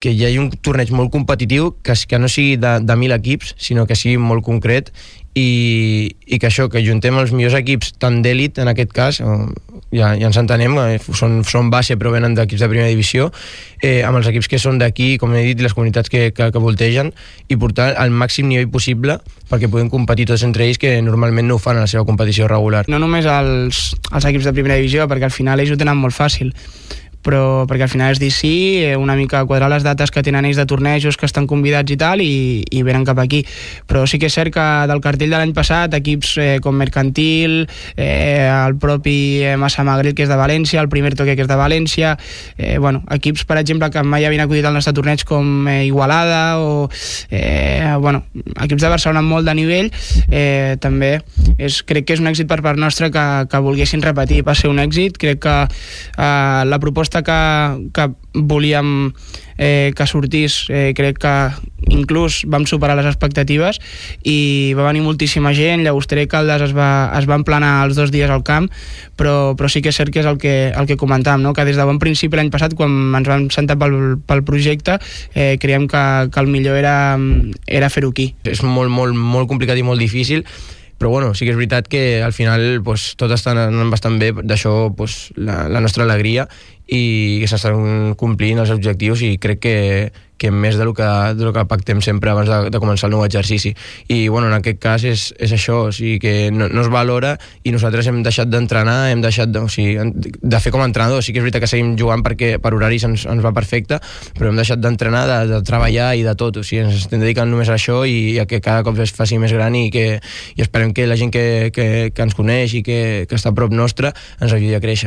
que hi hagi un torneig molt competitiu, que no sigui de 1.000 equips, sinó que sigui molt concret, i que això, que juntem els millors equips tant d'èlit, en aquest cas, ja ens entenem, són base però venen d'equips de primera divisió, amb els equips que són d'aquí, com he dit, les comunitats que voltegen, i portar al màxim nivell possible perquè puguem competir tots entre ells, que normalment no ho fan a la seva competició regular. No només els equips de primera divisió, perquè al final ells ho tenen molt fàcil, però perquè al final és dir sí, una mica quadrar les dates que tenen ells de tornejos que estan convidats i tal, i venen cap aquí. Però sí que és cert que del cartell de l'any passat equips com Mercantil, el propi Massamagrell, que és de València, el Primer Toque, que és de València, equips, per exemple, que mai havien acudit al nostre torneig, com Igualada o equips de Barcelona amb molt de nivell, també crec que és un èxit per part nostra que volguessin repetir. Va ser un èxit, crec que la proposta que volíem que sortís, crec que inclús vam superar les expectatives i va venir moltíssima gent. Llagostera i Caldes es va emplenar els 2 dies al camp, però sí que és cert que és el que comentàvem, no? Que des de bon principi l'any passat, quan ens vam sentar pel projecte, creiem que el millor era fer-ho aquí. És molt, molt, molt complicat i molt difícil, però bueno, sí que és veritat que al final tot està anant bastant bé, d'això la nostra alegria, i que s'estan complint els objectius, i crec que més del que pactem sempre abans de començar el nou exercici. I bueno, en aquest cas és això, o sigui que no es valora, i nosaltres hem deixat d'entrenar, hem deixat de fer com a entrenador. Sí que és veritat que seguim jugant perquè per horaris ens va perfecte, però hem deixat d'entrenar, de treballar i de tot. O sigui, ens estem dedicant només a això, i a que cada cop es faci més gran, i esperem que la gent que ens coneix i que està a prop nostre ens ajudi a créixer.